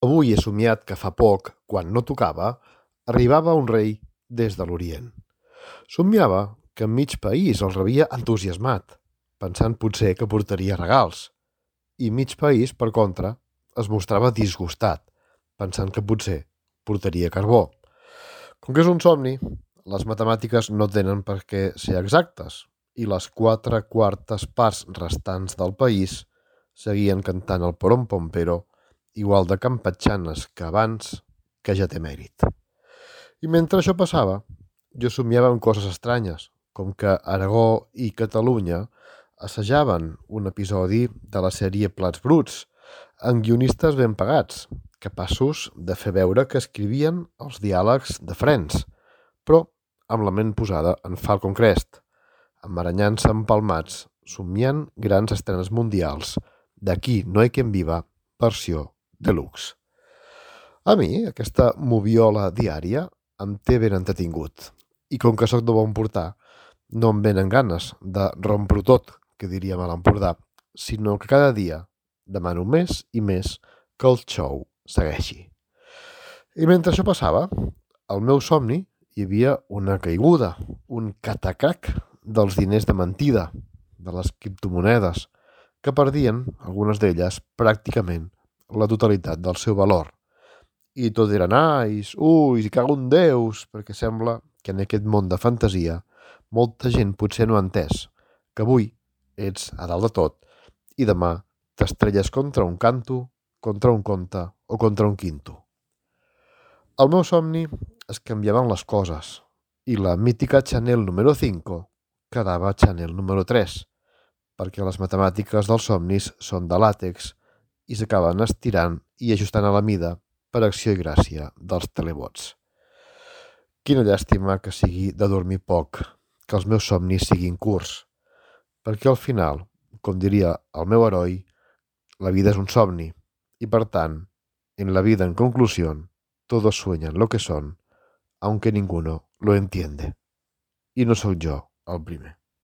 Avui he somiat que fa poc, quan no tocava, arribava un rei des de l'Orient. Somiava que mig país el rebia entusiasmat, pensant potser que portaria regals, i mig país, per contra, es mostrava disgustat, pensant que potser portaria carbó. Com que és un somni, les matemàtiques no tenen per què ser exactes, i les 4/4 parts restants del país seguien cantant el porom-pompero igual de campatxanes que abans, que ja té mèrit. I mentre això passava, jo somiava en coses estranyes, com que Aragó i Catalunya assajaven un episodi de la sèrie Plats Bruts, amb guionistes ben pagats, capaços de fer veure que escrivien els diàlegs de Friends, però amb la ment posada en Falcon Crest, emmaranyant-se empalmats, somiant grans estrenes mundials d'Aquí no hay quien viva, versió deluxe. A mi, aquesta moviola diària em té ben entretingut. I com que sóc de bon portar, no em venen ganes de rompre-ho tot, que diríem a l'Empordà, sinó que cada dia demano més i més que el show segueixi. I mentre això passava, al meu somni hi havia una caiguda, un catacac dels diners de mentida, de les criptomonedes, que perdien, algunes d'elles, pràcticament la totalitat del seu valor. I tot eren ais, uis, i cago en Déus, perquè sembla que en aquest món de fantasia molta gent potser no ha entès que avui ets a dalt de tot i demà t'estrelles contra un canto, contra un conte o contra un quinto. Al meu somni es canviaven les coses i la mítica Chanel número 5 quedava Chanel número 3, perquè les matemàtiques dels somnis són de làtex i s'acaben estirant i ajustant a la mida per acció i gràcia dels telebots. Quina llàstima que sigui de dormir poc, que els meus somnis siguin curts, perquè al final, com diria el meu heroi, la vida es un somni y per tant, en la vida en conclusión, todos sueñan lo que son, aunque ninguno lo entiende. I no sóc jo el primer.